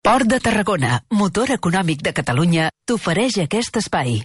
Port de Tarragona, motor econòmic de Catalunya, t'ofereix aquest espai.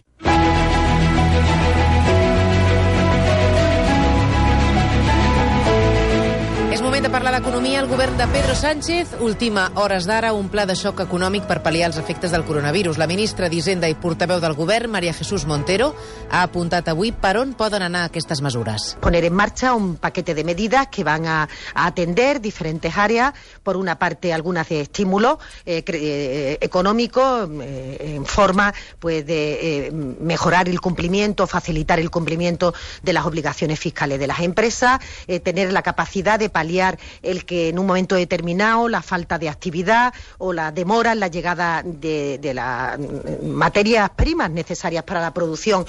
De parlar d'economia, el govern de Pedro Sánchez ultima hores d'ara un pla de xoc econòmic per pal·liar els efectes del coronavirus. La ministra d'Hisenda i portaveu del govern, María Jesús Montero, ha apuntat avui per on poden anar aquestes mesures. Poner en marcha un paquete de medidas que van a atender diferentes áreas. Por una parte, algunas de estímulo económico en forma pues de mejorar el cumplimiento, facilitar el cumplimiento de las obligaciones fiscales de las empresas, tener la capacidad de paliar el que en un momento determinado la falta de actividad o la demora en la llegada de las materias primas necesarias para la producción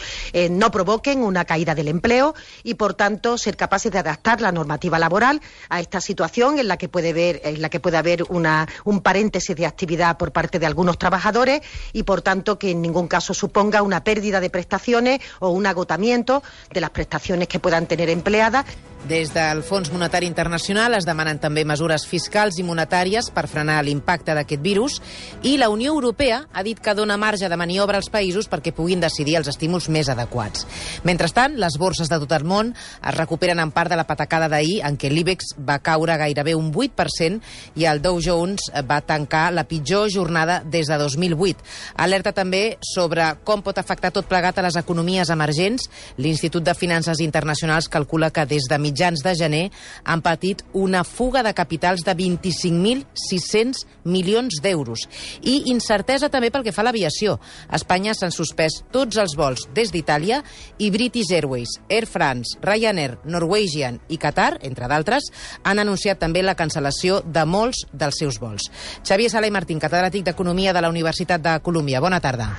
no provoquen una caída del empleo y, por tanto, ser capaces de adaptar la normativa laboral a esta situación en la que puede haber un paréntesis de actividad por parte de algunos trabajadores y, por tanto, que en ningún caso suponga una pérdida de prestaciones o un agotamiento de las prestaciones que puedan tener empleadas. Des del Fons Monetari Internacional es demanen també mesures fiscals i monetàries per frenar l'impacte d'aquest virus i la Unió Europea ha dit que dona marge de maniobra als països perquè puguin decidir els estímuls més adequats. Mentrestant, les borses de tot el món es recuperen en part de la patacada d'ahir en què l'IBEX va caure gairebé un 8% i el Dow Jones va tancar la pitjor jornada des de 2008. Alerta també sobre com pot afectar tot plegat a les economies emergents. L'Institut de Finances Internacionals calcula que des de mitjans de gener han patit una fuga de capitals de 25.600 milions d'euros. I incertesa també pel que fa a l'aviació. A Espanya s'han suspès tots els vols des d'Itàlia i British Airways, Air France, Ryanair, Norwegian i Qatar, entre d'altres, han anunciat també la cancel·lació de molts dels seus vols. Xavier Sala i Martín, catedràtic d'Economia de la Universitat de Colúmbia. Bona tarda.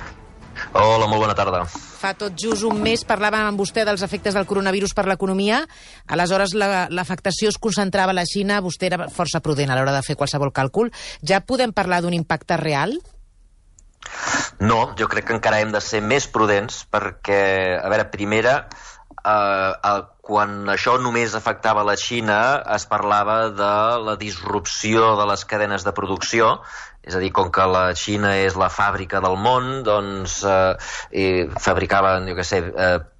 Hola, molt bona tarda. Fa tot just un mes parlàvem amb vostè dels efectes del coronavirus per l'economia. Aleshores, l'afectació es concentrava a la Xina. Vostè era força prudent a l'hora de fer qualsevol càlcul. Ja podem parlar d'un impacte real? No, jo crec que encara hem de ser més prudents perquè, a veure, primera, quan això només afectava la Xina es parlava de la disrupció de les cadenes de producció. És a dir, com que la Xina és la fàbrica del món, doncs fabricaven, jo què sé,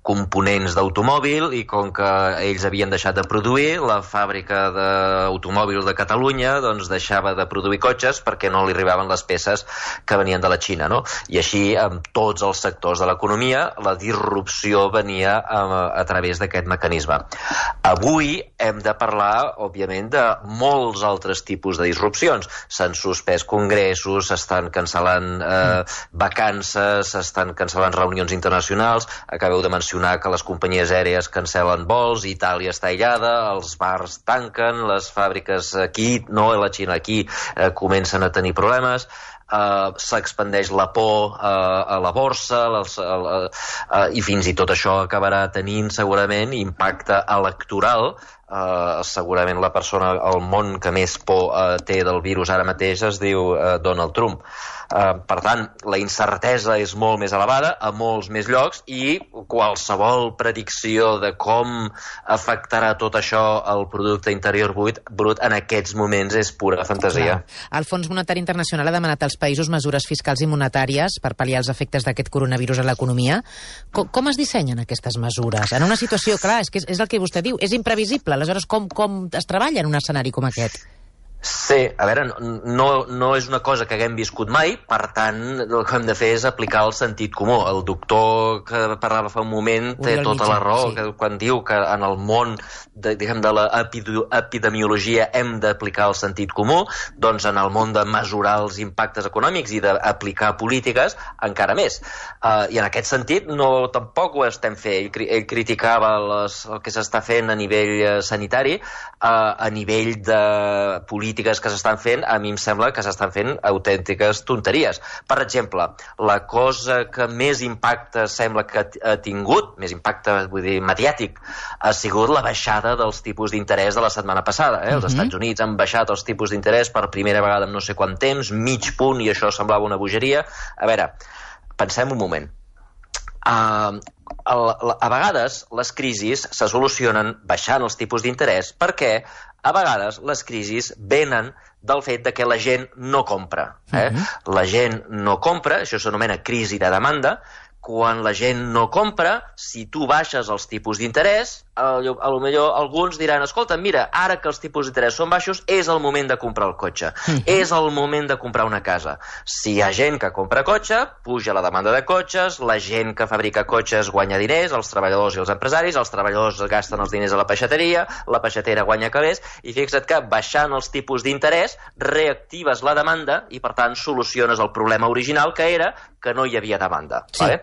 components d'automòbil i com que ells havien deixat de produir, la fàbrica d'automòbil de Catalunya doncs deixava de produir cotxes perquè no li arribaven les peces que venien de la Xina, no? I així, amb tots els sectors de l'economia, la disrupció venia a través d'aquest mecanisme. Avui hem de parlar, òbviament, de molts altres tipus de disrupcions. S'han suspès congressos, s'estan cancel·lant vacances, s'estan cancel·lant reunions internacionals, acabeu de mencionar que les companyies aèries cancel·len vols, Itàlia està aïllada, els bars tanquen, les fàbriques aquí, no a la Xina, aquí comencen a tenir problemes, s'expandeix la por a la borsa i fins i tot això acabarà tenint segurament impacte electoral. Segurament la persona al món que més por té del virus ara mateix es diu Donald Trump. Per tant, la incertesa és molt més elevada a molts més llocs i qualsevol predicció de com afectarà tot això al producte interior brut en aquests moments és pura fantasia. El Fons Monetari Internacional ha demanat als països mesures fiscals i monetàries per pal·liar els efectes d'aquest coronavirus a l'economia. Com es dissenyen aquestes mesures? En una situació, clar, és el que vostè diu, és imprevisible. Aleshores, com es treballa en un escenari com aquest? Sí, a veure, no és una cosa que haguem viscut mai, per tant, el que hem de fer és aplicar el sentit comú. El doctor que parlava fa un moment té tota la raó, sí, quan diu que en el món de l'epidemiologia hem d'aplicar el sentit comú, doncs en el món de mesurar els impactes econòmics i d'aplicar polítiques, encara més. I en aquest sentit, tampoc ho estem fent. Ell criticava el que s'està fent a nivell sanitari, a nivell de polítiques que s'estan fent, a mi em sembla que s'estan fent autèntiques tonteries. Per exemple, la cosa que més impacte sembla que ha tingut, més impacte, vull dir, mediàtic, ha sigut la baixada dels tipus d'interès de la setmana passada. Els Estats Units han baixat els tipus d'interès per primera vegada en no sé quant temps, mig punt, i això semblava una bogeria. A veure, pensem un moment. a vegades les crisis se solucionen baixant els tipus d'interès perquè a vegades les crisis venen del fet de que la gent no compra. La gent no compra, això s'anomena crisi de demanda. Quan la gent no compra, si tu baixes els tipus d'interès, potser alguns diran, escolta, mira, ara que els tipus d'interès són baixos, és el moment de comprar el cotxe, és el moment de comprar una casa. Si hi ha gent que compra cotxe, puja la demanda de cotxes, la gent que fabrica cotxes guanya diners, els treballadors i els empresaris, els treballadors gasten els diners a la peixateria, la peixatera guanya calés, i fixa't que baixant els tipus d'interès reactives la demanda i, per tant, soluciones el problema original, que era que no hi havia demanda. Sí. Vale?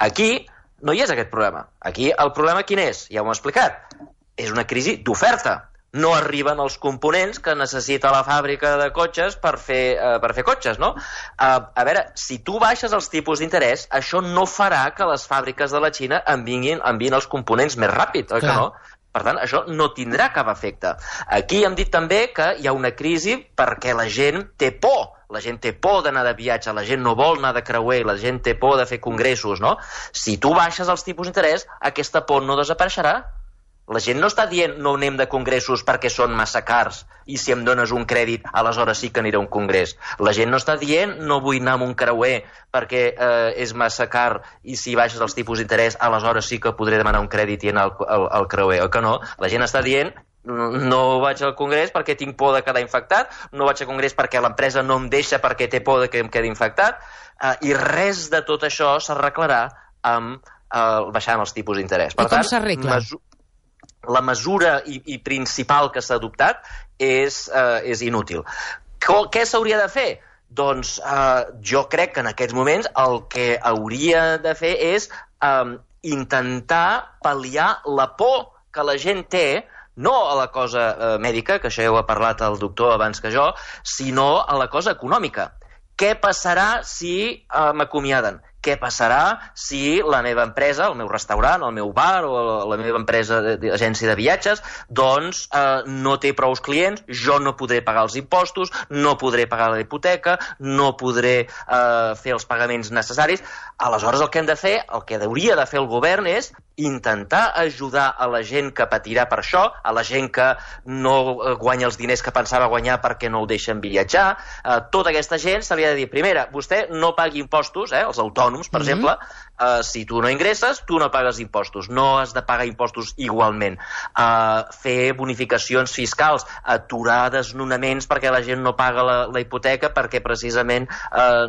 Aquí no hi és aquest problema. Aquí el problema quin és? Ja ho hem explicat. És una crisi d'oferta. No arriben els components que necessita la fàbrica de cotxes per fer cotxes, no? A veure, si tu baixes els tipus d'interès, això no farà que les fàbriques de la Xina enviïn els components més ràpid, oi que no? Per tant, això no tindrà cap efecte. Aquí hem dit també que hi ha una crisi perquè la gent té por. La gent té por d'anar de viatge, la gent no vol anar de creuer, la gent té por de fer congressos, no? Si tu baixes els tipus d'interès, aquesta por no desapareixerà. La gent no està dient no anem de congressos perquè són massa cars i si em dones un crèdit, aleshores sí que aniré a un congrés. La gent no està dient no vull anar amb un creuer perquè és massa car i si baixes els tipus d'interès, aleshores sí que podré demanar un crèdit i anar al creuer, oi que no? La gent està dient no vaig al congrés perquè tinc por de quedar infectat, no vaig al congrés perquè l'empresa no em deixa perquè té por de que em quedi infectat, i res de tot això s'arreglarà amb baixant els tipus d'interès. I com s'arregla? La mesura i principal que s'ha adoptat és inútil. Què s'hauria de fer? Doncs jo crec que en aquests moments el que hauria de fer és intentar pal·liar la por que la gent té, no a la cosa mèdica, que això ja ho ha parlat el doctor abans que jo, sinó a la cosa econòmica. Què passarà si m'acomiaden? Què passarà si la meva empresa, el meu restaurant, el meu bar o la meva empresa d'agència de viatges, doncs no té prou clients, jo no podré pagar els impostos, no podré pagar la hipoteca, no podré fer els pagaments necessaris. Aleshores el que hem de fer, el que hauria de fer el govern és intentar ajudar a la gent que patirà per això, a la gent que no guanya els diners que pensava guanyar perquè no el deixen viatjar. Tota aquesta gent se li ha de dir, primera, vostè no pagui impostos, els autònoms, per exemple, si tu no ingresses, tu no pagues impostos, no has de pagar impostos igualment. Fer bonificacions fiscals, aturar desnonaments perquè la gent no paga la hipoteca perquè precisament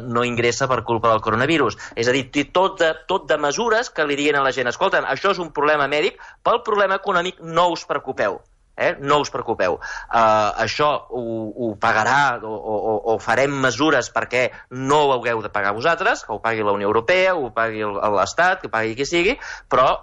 no ingressa per culpa del coronavirus. És a dir, tot de mesures que li diuen a la gent, escolta'm, això és un problema mèdic, pel problema econòmic no us preocupeu. No us preocupeu. Això ho pagarà o farem mesures perquè no ho hagueu de pagar vosaltres, que ho pagui la Unió Europea, ho pagui l'Estat, que ho pagui qui sigui, però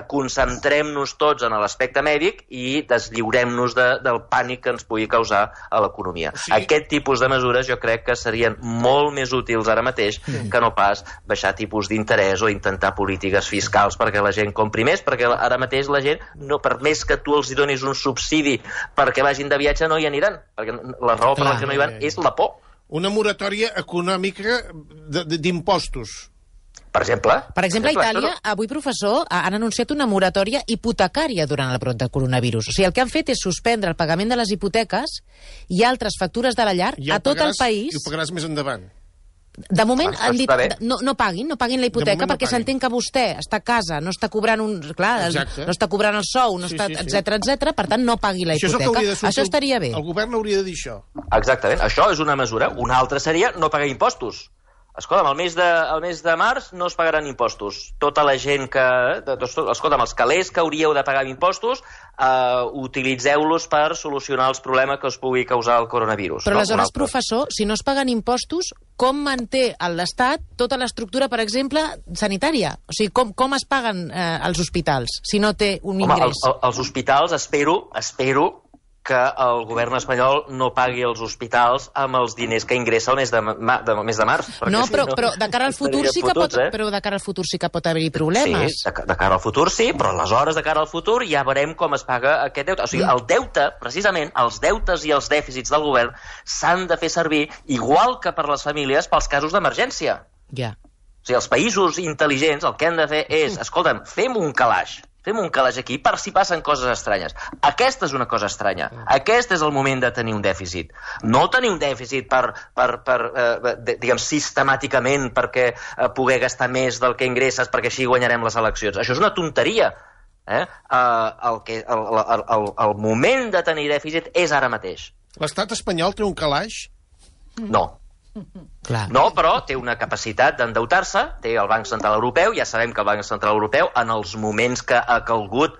concentrem-nos tots en l'aspecte mèdic i deslliurem-nos del pànic que ens pugui causar a l'economia. Sí. Aquest tipus de mesures jo crec que serien molt més útils ara mateix que no pas baixar tipus d'interès o intentar polítiques fiscals perquè la gent compri més, perquè ara mateix la gent, per més que tu els donis un subsidi perquè vagin de viatge no hi aniran, perquè la raó per la que no hi van és la por. Una moratòria econòmica d'impostos. Per exemple, a Itàlia, avui, professor, han anunciat una moratòria hipotecària durant el brot de coronavirus. O sigui, el que han fet és suspendre el pagament de les hipoteques i altres factures de la llar a tot el país. I ho pagaràs més endavant. De moment han dit no paguin la hipoteca perquè s'entén que vostè està a casa, no està cobrant no està cobrant el sou, etcètera, per tant no pagui la hipoteca. Això estaria bé. El govern hauria de dir això. Exactament, això és una mesura. Una altra seria no pagar impostos. Escolta'm, el mes de març no es pagaran impostos. Tota la gent que... Escolta'm, els calés que hauríeu de pagar impostos, utilitzeu-los per solucionar els problemes que us pugui causar el coronavirus. Però aleshores, professor, si no es paguen impostos, com manté l'Estat tota l'estructura, per exemple, sanitària? O sigui, com es paguen els hospitals si no té un ingrés? Els hospitals, espero que el govern espanyol no pagui els hospitals amb els diners que ingressa el mes de març. No, però de cara al futur sí que pot haver-hi problemes. Sí, de cara al futur sí, però aleshores de cara al futur ja veurem com es paga aquest deute. O sigui, el deute, precisament, els deutes i els dèficits del govern s'han de fer servir igual que per les famílies pels casos d'emergència. Ja. O sigui, els països intel·ligents el que han de fer és, escolta'm, fem un calaix aquí per si passen coses estranyes. Aquesta és una cosa estranya. Aquest és el moment de tenir un dèficit. No tenir un dèficit diguem, sistemàticament perquè poder gastar més del que ingresses perquè així guanyarem les eleccions. Això és una tonteria. El moment de tenir dèficit és ara mateix. L'estat espanyol té un calaix? No. Clar. No, però té una capacitat d'endeutar-se, té el Banc Central Europeu, ja sabem que el Banc Central Europeu, en els moments que ha calgut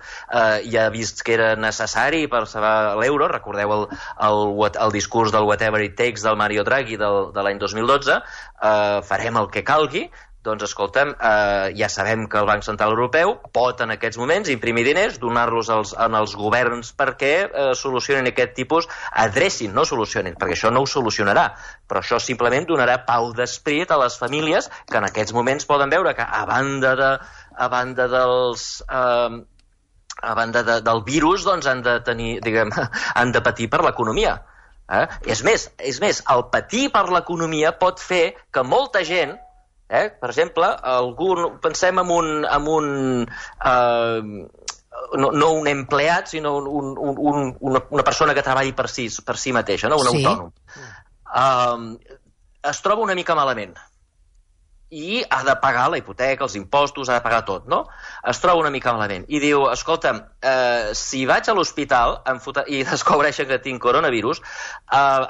i ha vist que era necessari per salvar l'euro, recordeu el discurs del whatever it takes del Mario Draghi de l'any 2012, farem el que calgui. Doncs, escolta'm, ja sabem que el Banc Central Europeu pot en aquests moments imprimir diners, donar-los als governs perquè solucionin aquest tipus, adrecin, no solucionin, perquè això no ho solucionarà, però això simplement donarà pau d'esperit a les famílies que en aquests moments poden veure que a banda del virus, doncs han de tenir, diguem, han de patir per l'economia. És més, el patir per l'economia pot fer que molta gent, per exemple, pensem en un no un empleat, sinó una persona que treballi per si mateixa, no? Un autònom. Es troba una mica malament i ha de pagar la hipoteca, els impostos, ha de pagar tot, no? Es troba una mica malament i diu, escolta'm, si vaig a l'hospital i descobreixen que tinc coronavirus,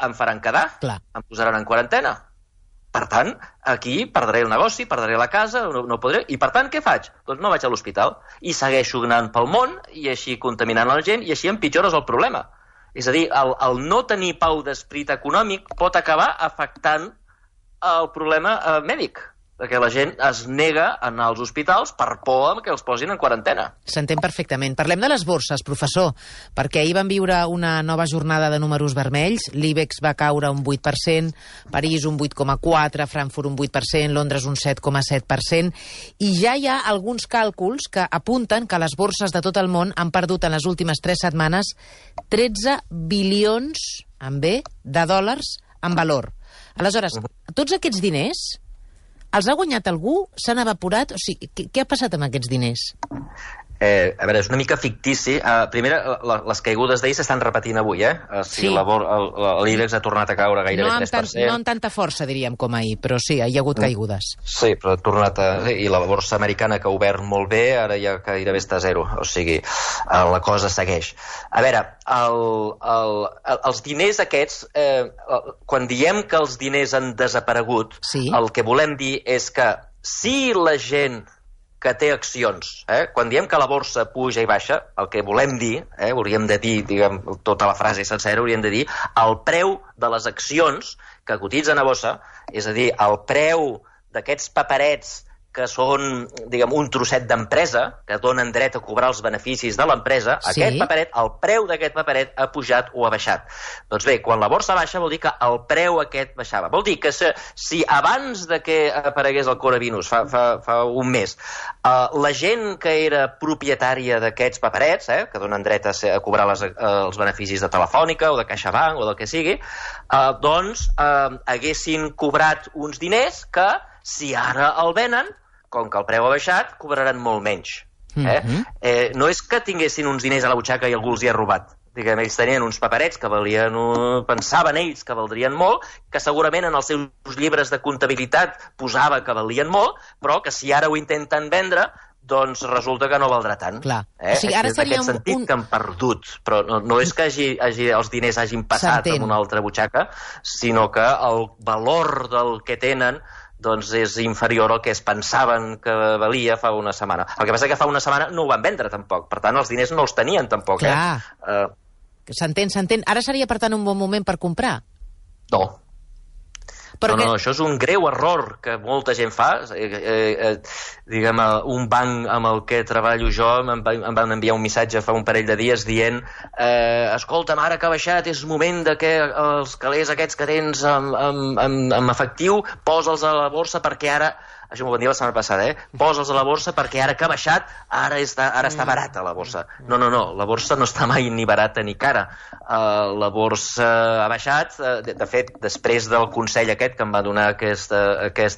em faran quedar, em posaran en quarantena. Per tant, aquí perdré el negoci, perdré la casa, no podré... I per tant, què faig? Doncs no vaig a l'hospital. I segueixo anant pel món, i així contaminant la gent, i així empitjores el problema. És a dir, el no tenir pau d'esperit econòmic pot acabar afectant el problema mèdic, perquè la gent es nega a anar als hospitals per por que els posin en quarantena. S'entén perfectament. Parlem de les borses, professor, perquè ahir vam viure una nova jornada de números vermells. L'IBEX va caure un 8%, París un 8,4%, Frankfurt un 8%, Londres un 7,7%, i ja hi ha alguns càlculs que apunten que les borses de tot el món han perdut en les últimes 3 setmanes 13 bilions, amb B, de dòlars en valor. Aleshores, tots aquests diners els ha guanyat algú? S'han evaporat? O sigui, què ha passat amb aquests diners? A veure, és una mica fictici. Primer, les caigudes d'ahir s'estan repetint avui, Sí. L'IBEX ha tornat a caure gairebé 3%. No amb tanta força, diríem, com ahir, però sí, hi ha hagut caigudes. Sí, però ha tornat I la borsa americana, que ha obert molt bé, ara ja gairebé està a zero. O sigui, la cosa segueix. A veure, els diners aquests, quan diem que els diners han desaparegut, el que volem dir és que si la gent que té accions, quan diem que la borsa puja i baixa, el que volem dir, hauríem de dir, diguem, tota la frase sencera, hauríem de dir el preu de les accions que cotitzen a borsa, és a dir, el preu d'aquests paperets que són, diguem, un trosset d'empresa, que donen dret a cobrar els beneficis de l'empresa, aquest paperet, el preu d'aquest paperet ha pujat o ha baixat. Doncs bé, quan la borsa baixa vol dir que el preu aquest baixava. Vol dir que si abans de que aparegués el coronavirus, fa un mes, la gent que era propietària d'aquests paperets, que donen dret a cobrar els beneficis de Telefònica o de CaixaBank o del que sigui, doncs haguessin cobrat uns diners que, si ara el venen, com que el preu ha baixat, cobraran molt menys. No és que tinguessin uns diners a la butxaca i algú els hi ha robat. Diguem, ells tenien uns paperets que valien, pensaven ells que valdrien molt, que segurament en els seus llibres de comptabilitat posava que valien molt, però que si ara ho intenten vendre, doncs resulta que no valdrà tant. Clar. O sigui, ara seria en aquest sentit que han perdut, però no és que els diners hagin passat en una altra butxaca, sinó que el valor del que tenen doncs és inferior al que es pensaven que valia fa una setmana. El que passa que fa una setmana no ho van vendre tampoc, per tant els diners no els tenien tampoc. Clar, s'entén. Ara seria per tant un bon moment per comprar? No. No, això és un greu error que molta gent fa. Diguem, un banc amb el que treballo jo em van enviar un missatge fa un parell de dies dient escolta'm, ara que ha baixat és moment de que els calés aquests que tens en efectiu posa'ls a la borsa perquè ara... Això m'ho van dir la setmana passada, posa'ls a la borsa perquè ara que ha baixat, ara està barata la borsa. No, la borsa no està mai ni barata ni cara. La borsa ha baixat, de fet, després del consell aquest que em va donar aquest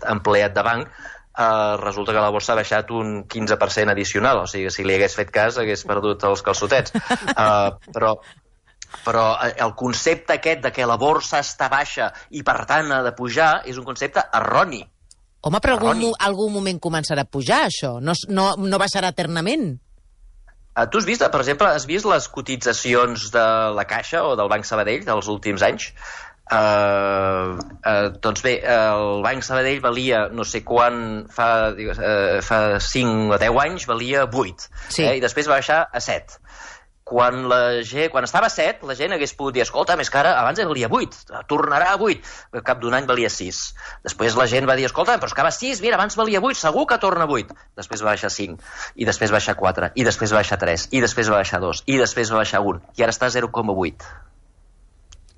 empleat de banc, resulta que la borsa ha baixat un 15% addicional, o sigui, si li hagués fet cas hagués perdut els calçotets. Però el concepte aquest de que la borsa està baixa i per tant ha de pujar és un concepte erroni. Home, però algun moment començarà a pujar, això? No baixarà eternament? Tu has vist, per exemple, les cotitzacions de la Caixa o del Banc Sabadell dels últims anys? Doncs bé, el Banc Sabadell valia, no sé quan, fa 5 o 10 anys, valia 8. Sí. I després va baixar a 7. Quan estava a 7, la gent hagués pogut dir, escolta, més que ara, abans valia 8, tornarà a 8. Al cap d'un any valia 6. Després la gent va dir, escolta, però és que va 6, mira, abans valia 8, segur que torna a 8. Després va baixar 5, i després va baixar 4, i després va baixar 3, i després va baixar 2, i després va baixar 1, i ara està a 0,8.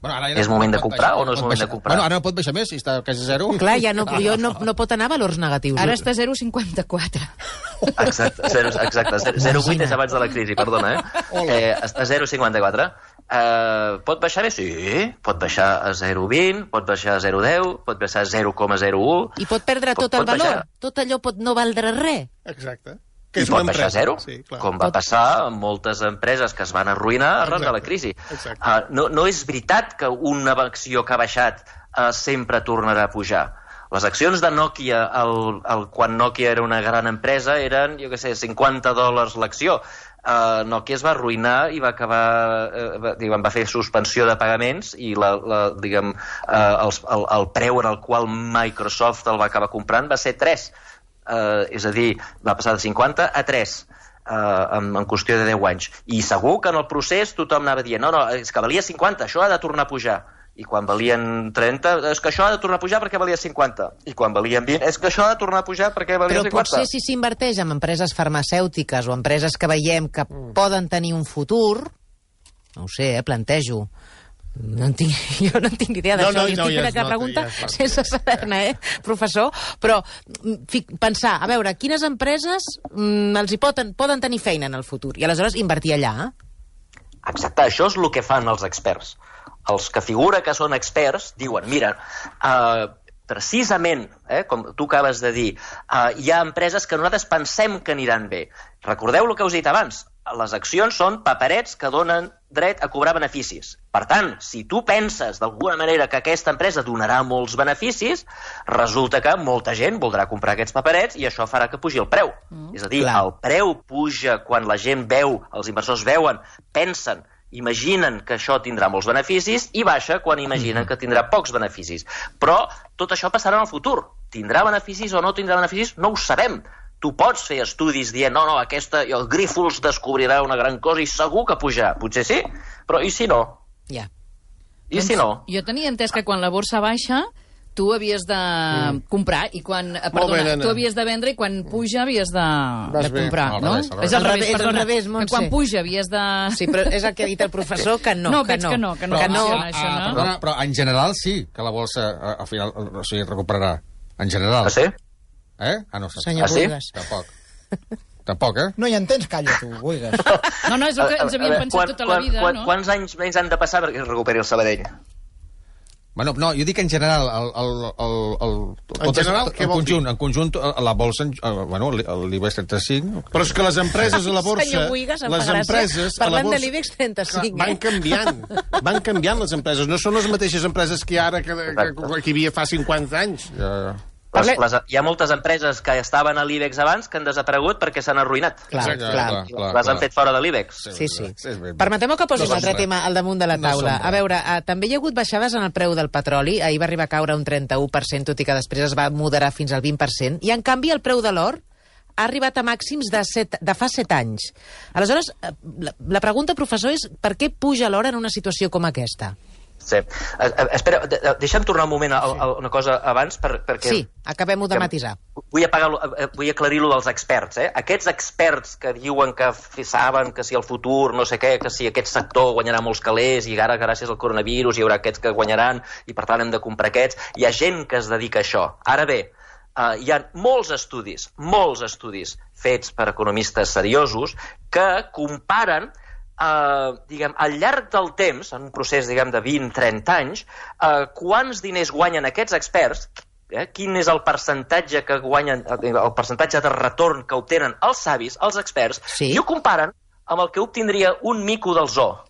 Bueno, és moment de comprar o no és moment de comprar? Bueno, ara no pot baixar més, si està quasi 0. Clar, ja no pot anar a valors negatius. Ara està a 0,54. Exacte, 0,8 és abans de la crisi, perdona, està a 0,54. Pot baixar més? Sí, pot baixar a 0,20, pot baixar a 0,10, pot baixar a 0,01... I pot perdre tot el valor? Tot allò pot no valdre res? Exacte. I pot baixar a 0, com va passar amb moltes empreses que es van arruïnar arran de la crisi. No és veritat que una acció que ha baixat sempre tornarà a pujar. Les accions de Nokia, quan Nokia era una gran empresa, eren, jo què sé, $50 l'acció. Nokia es va arruïnar i va acabar, va fer suspensió de pagaments i el preu en el qual Microsoft el va acabar comprant va ser 3. És a dir, va passar de 50 a 3 en qüestió de 10 anys. I segur que en el procés tothom anava dient no, és que valia 50, això ha de tornar a pujar. I quan valien 30, és que això ha de tornar a pujar perquè valia 50. I quan valien 20, és que això ha de tornar a pujar perquè valia 50. Però potser si s'inverteix en empreses farmacèutiques o empreses que veiem que poden tenir un futur, no ho sé, plantejo. Jo no en tinc idea d'això. Estic fent aquesta pregunta sense saber-ne, professor? Però pensar, a veure, quines empreses els hi poden tenir feina en el futur i aleshores invertir allà? Exacte, això és el que fan els experts. Els que figura que són experts diuen, mira, precisament, com tu acabes de dir, hi ha empreses que nosaltres pensem que aniran bé. Recordeu el que us he dit abans, les accions són paperets que donen dret a cobrar beneficis. Per tant, si tu penses d'alguna manera que aquesta empresa donarà molts beneficis, resulta que molta gent voldrà comprar aquests paperets i això farà que pugi el preu. És a dir, el preu puja quan la gent veu, els inversors veuen, pensen, imaginen que això tindrà molts beneficis i baixa quan imaginen que tindrà pocs beneficis. Però tot això passarà en el futur. Tindrà beneficis o no tindrà beneficis? No ho sabem. Tu pots fer estudis dient, el Grífols descobrirà una gran cosa i segur que pujarà. Potser sí, però i si no? Ja. I si no? Jo tenia entès que quan la borsa baixa tu havies de comprar i quan... Perdona, tu havies de vendre i quan puja havies de comprar, no? És al revés, Montse. Que quan puja havies de... Sí, però és el que ha dit el professor, que no. No, veig que no. Però en general sí que la borsa al final recuperarà. En general. Ah, sí? No saps. Senyor Buigas. Tampoc, No hi entens, calla, tu, Buigas. No, és el que ens havíem pensat tota la vida, no? Quants anys més han de passar perquè es recuperi el Sabadell? Bueno, no, jo dic en general, en conjunt, la bolsa, l'IBEX 35... Però és que les empreses a la borsa... Senyor Buigas, les empreses parlant de l'IBEX 35, van canviant les empreses. No són les mateixes empreses que ara, que hi havia fa 50 anys. Hi ha moltes empreses que estaven a l'IBEX abans que han desaparegut perquè s'han arruïnat. Clar. Les han fet fora de l'IBEX. Sí. Permeteu-me que posi un altre tema al damunt de la taula. A veure, també hi ha hagut baixades en el preu del petroli. Ahir va arribar a caure un 31%, tot i que després es va moderar fins al 20%. I, en canvi, el preu de l'or ha arribat a màxims de fa 7 anys. Aleshores, la pregunta, professor, és per què puja l'or en una situació com aquesta? Sí. Espera, deixa'm tornar un moment a una cosa abans perquè... Sí, acabem-ho de matisar. Vull aclarir-lo dels experts. Aquests experts que diuen que saben que si el futur, no sé què, que si aquest sector guanyarà molts calés i ara gràcies al coronavirus hi haurà aquests que guanyaran i per tant hem de comprar aquests. Hi ha gent que es dedica a això. Ara bé, hi ha molts estudis fets per economistes seriosos que comparen al llarg del temps, en un procés de 20-30 anys, quants diners guanyen aquests experts quin és el percentatge que guanyen, el percentatge de retorn que obtenen els savis, els experts, i ho comparen amb el que obtindria un mico del zoo.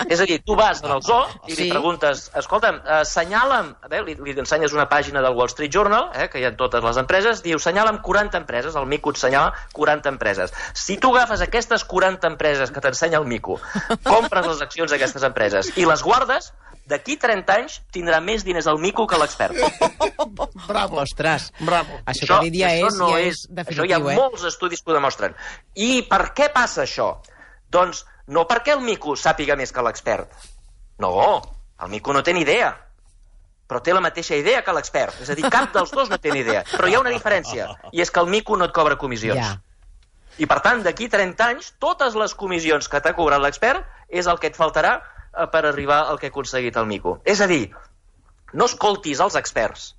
És a dir, tu vas al zoo i li preguntes, escolta'm, assenyala'm, li ensenyes una pàgina del Wall Street Journal, que hi ha totes les empreses, diu, assenyala'm 40 empreses, el mico et assenyala 40 empreses. Si tu agafes aquestes 40 empreses que t'ensenya el mico, compres les accions d'aquestes empreses i les guardes, d'aquí 30 anys tindrà més diners el mico que l'expert. Bravo. Ostres. Bravo. Això que ha dit ja és definitiu, Això hi ha molts estudis que ho demostren. I per què passa això? Doncs no perquè el mico sàpiga més que l'expert. No, el mico no té ni idea. Però té la mateixa idea que l'expert. És a dir, cap dels dos no té ni idea. Però hi ha una diferència, i és que el mico no et cobra comissions. I per tant, d'aquí 30 anys, totes les comissions que t'ha cobrat l'expert és el que et faltarà per arribar al que ha aconseguit el mico. És a dir, no escoltis els experts.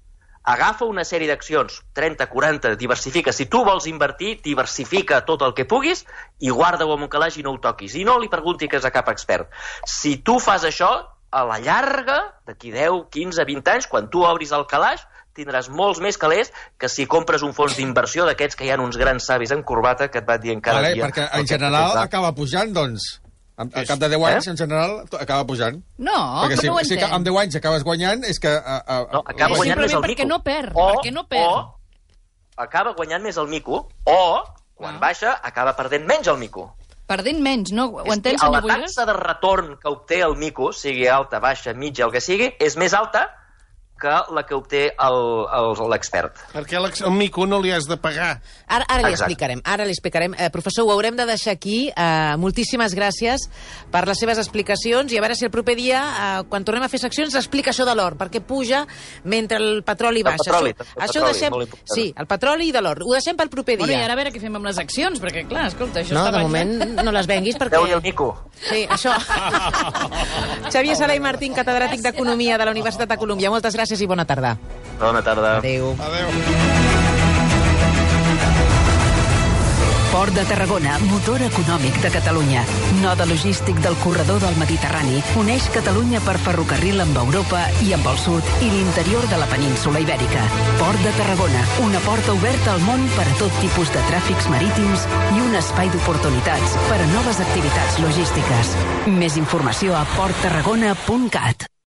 Agafa una sèrie d'accions, 30, 40, diversifica. Si tu vols invertir, diversifica tot el que puguis i guarda-ho en un calaix i no ho toquis. I no li preguntis a cap expert. Si tu fas això, a la llarga, d'aquí 10, 15, 20 anys, quan tu obris el calaix, tindràs molts més calés que si compres un fons d'inversió d'aquests que hi ha uns grans savis en corbata que et van dient cada dia... Perquè en general acaba pujant, doncs. Al cap de 10 anys, en general, acaba pujant. No, perquè no ho entenc. Si amb 10 anys acabes guanyant, és que... No, acaba guanyant més el mico. Perquè no perd, perquè no perd. O acaba guanyant més el mico, o, quan baixa, acaba perdent menys el mico. Perdent menys, no? Ho entens, senyor Boigas? La taxa de retorn que obté el mico, sigui alta, baixa, mitja, el que sigui, és més alta que la que obté l'expert. Perquè el mico no li has de pagar. Ara li explicarem. Professor, ho haurem de deixar aquí. Moltíssimes gràcies per les seves explicacions i a veure si el proper dia, quan tornem a fer seccions, explica això de l'or, perquè puja mentre el petroli baixa. Això deixem... Sí, el petroli i de l'or. Ho deixem pel proper dia. Bueno, i ara a veure què fem amb les accions, perquè, clar, escolta, això està baixant. No, de moment no les venguis perquè... Deu-li el mico. Sí, això. Xavier Sala i Martín, catedràtic d'Economia de la Universitat de Colúmbia. Moltes gràcies i bona tarda. Bona tarda. Adéu. Port de Tarragona, motor econòmic de Catalunya. Node logístic del corredor del Mediterrani. Uneix Catalunya per ferrocarril amb Europa i amb el sud i l'interior de la península Ibèrica. Port de Tarragona, una porta oberta al món per a tot tipus de tràfics marítims i un espai d'oportunitats per a noves activitats logístiques. Més informació a porttarragona.cat.